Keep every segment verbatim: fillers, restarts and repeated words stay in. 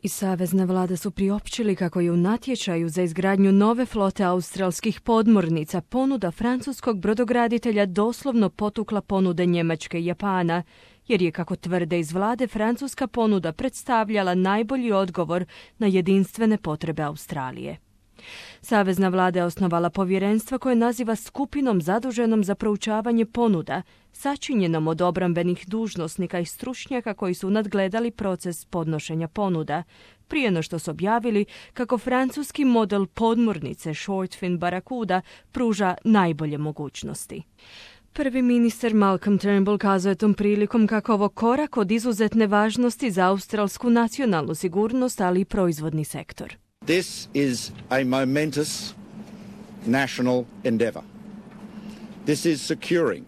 I savezne vlade su priopćili kako je u natječaju za izgradnju nove flote australskih podmornica ponuda francuskog brodograditelja doslovno potukla ponude Njemačke i Japana, jer je, kako tvrde iz vlade, francuska ponuda predstavljala najbolji odgovor na jedinstvene potrebe Australije. Savezna vlada je osnovala povjerenstvo koje naziva skupinom zaduženom za proučavanje ponuda, sačinjenom od obrambenih dužnosnika i stručnjaka koji su nadgledali proces podnošenja ponuda, prije no što su objavili kako francuski model podmornice Shortfin Barracuda pruža najbolje mogućnosti. Prvi ministar Malcolm Turnbull kazao je tom prilikom kako ovo korak od izuzetne važnosti za australsku nacionalnu sigurnost, ali i proizvodni sektor. This is a momentous national endeavour. This is securing,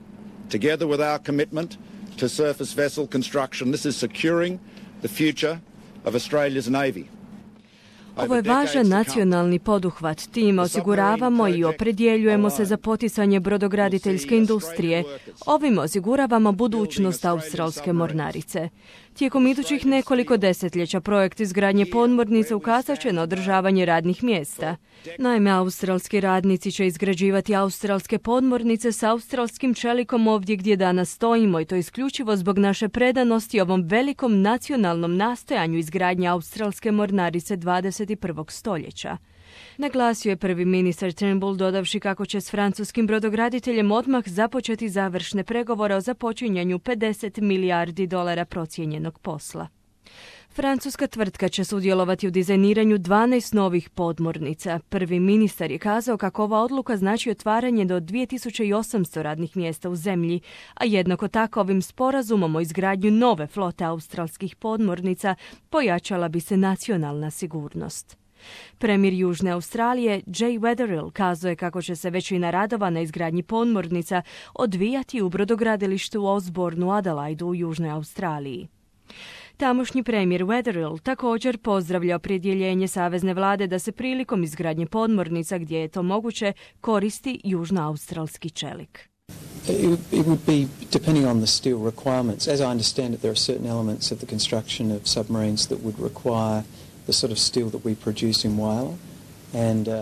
together with our commitment to surface vessel construction, this is securing the future of Australia's Navy. Ovo je važan nacionalni poduhvat. Tim osiguravamo i opredjeljujemo se za poticanje brodograditeljske industrije. Ovim osiguravamo budućnost australske mornarice. Tijekom idućih nekoliko desetljeća projekt izgradnje podmornice ukazat će na održavanje radnih mjesta. Naime, australski radnici će izgrađivati australske podmornice s australskim čelikom ovdje gdje danas stojimo, i to isključivo zbog naše predanosti ovom velikom nacionalnom nastojanju izgradnje australske mornarice dvadeset prvog stoljeća. Naglasio je prvi ministar Turnbull, dodavši kako će s francuskim brodograditeljem odmah započeti završne pregovore o započinjanju pedeset milijardi dolara procijenjenog posla. Francuska tvrtka će sudjelovati u dizajniranju dvanaest novih podmornica. Prvi ministar je kazao kako ova odluka znači otvaranje do dvije tisuće osamsto radnih mjesta u zemlji, a jednako tako ovim sporazumom o izgradnju nove flote australskih podmornica pojačala bi se nacionalna sigurnost. Premijer Južne Australije Jay Weatherill kazao je kako će se većina radova na izgradnji podmornica odvijati u brodogradilištu u Osbornu, Adelaidu u Južnoj Australiji. Tamošnji premijer Weatherill također pozdravlja opredjeljenje savezne vlade da se prilikom izgradnje podmornica, gdje je to moguće, koristi južnoaustralski čelik. It would be depending on the steel requirements. As I understand it, there are certain elements of the construction of submarines that would require the sort of steel that we produce in Whyalla, and uh,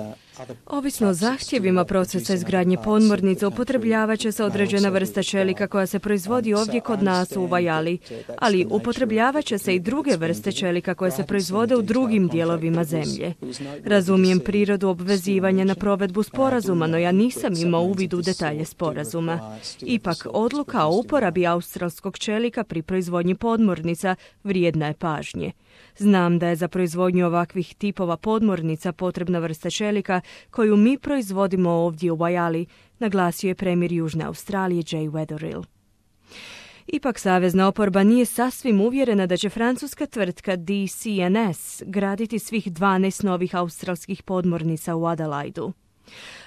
Ovisno o zahtjevima procesa izgradnje podmornica upotrebljavat će se određena vrsta čelika koja se proizvodi ovdje kod nas u Whyalli, ali upotrebljavat će se i druge vrste čelika koje se proizvode u drugim dijelovima zemlje. Razumijem prirodu obvezivanja na provedbu sporazuma, no ja nisam imao uvid u detalje sporazuma. Ipak, odluka o uporabi australskog čelika pri proizvodnji podmornica vrijedna je pažnje. Znam da je za proizvodnju ovakvih tipova podmornica potrebna vrsta čelika koju mi proizvodimo ovdje u Whyalli, naglasio je premijer Južne Australije Jay Weatherill. Ipak savezna oporba nije sasvim uvjerena da će francuska tvrtka D C N S graditi svih dvanaest novih australskih podmornica u Adelaidu.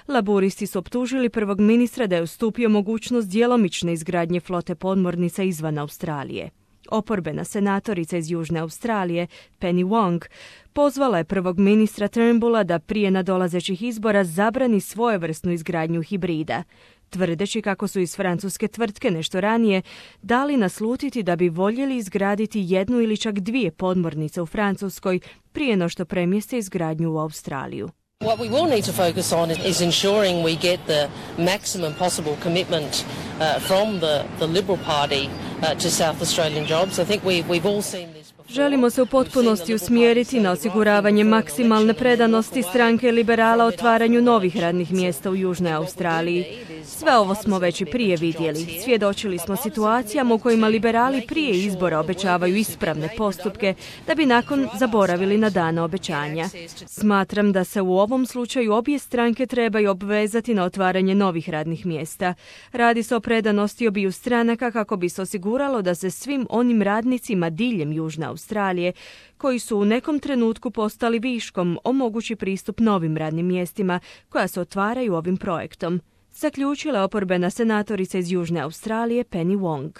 Laburisti su optužili prvog ministra da je ustupio mogućnost djelomične izgradnje flote podmornica izvan Australije. Oporbena senatorica iz Južne Australije, Penny Wong, pozvala je prvog ministra Turnbulla da prije nadolazećih izbora zabrani svojevrsnu izgradnju hibrida, tvrdeći kako su iz francuske tvrtke nešto ranije dali naslutiti da bi voljeli izgraditi jednu ili čak dvije podmornice u Francuskoj prije no što premjeste izgradnju u Australiju. What we will need to focus on is ensuring we get the maximum possible commitment uh, from the, the Liberal Party uh, to South Australian jobs. I think we, we've all seen this. Želimo se u potpunosti usmjeriti na osiguravanje maksimalne predanosti stranke liberala otvaranju novih radnih mjesta u Južnoj Australiji. Sve ovo smo već i prije vidjeli. Svjedočili smo situacijama u kojima liberali prije izbora obećavaju ispravne postupke da bi nakon zaboravili na dane obećanja. Smatram da se u ovom slučaju obje stranke trebaju obvezati na otvaranje novih radnih mjesta. Radi se o predanosti obiju stranaka kako bi se osiguralo da se svim onim radnicima diljem Južne Australije, koji su u nekom trenutku postali viškom, omogući pristup novim radnim mjestima koja se otvaraju ovim projektom, zaključila oporbena senatorica iz Južne Australije Penny Wong.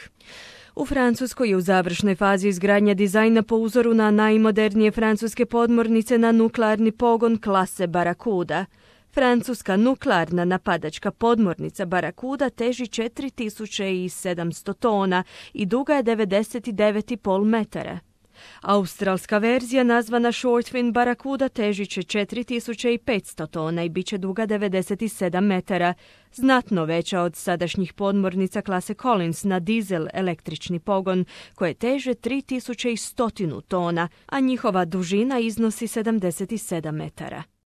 U Francuskoj je u završnoj fazi izgradnja dizajna po uzoru na najmodernije francuske podmornice na nuklearni pogon klase Barracuda. Francuska nuklearna napadačka podmornica Barracuda teži četiri tisuće sedamsto tona i duga je devedeset devet zarez pet metara. Australska verzija nazvana Shortfin Barracuda težit će četiri tisuće petsto tona i bit će duga devedeset sedam metara, znatno veća od sadašnjih podmornica klase Collins na dizel električni pogon, koje teže tri tisuće sto tona, a njihova dužina iznosi sedamdeset sedam metara.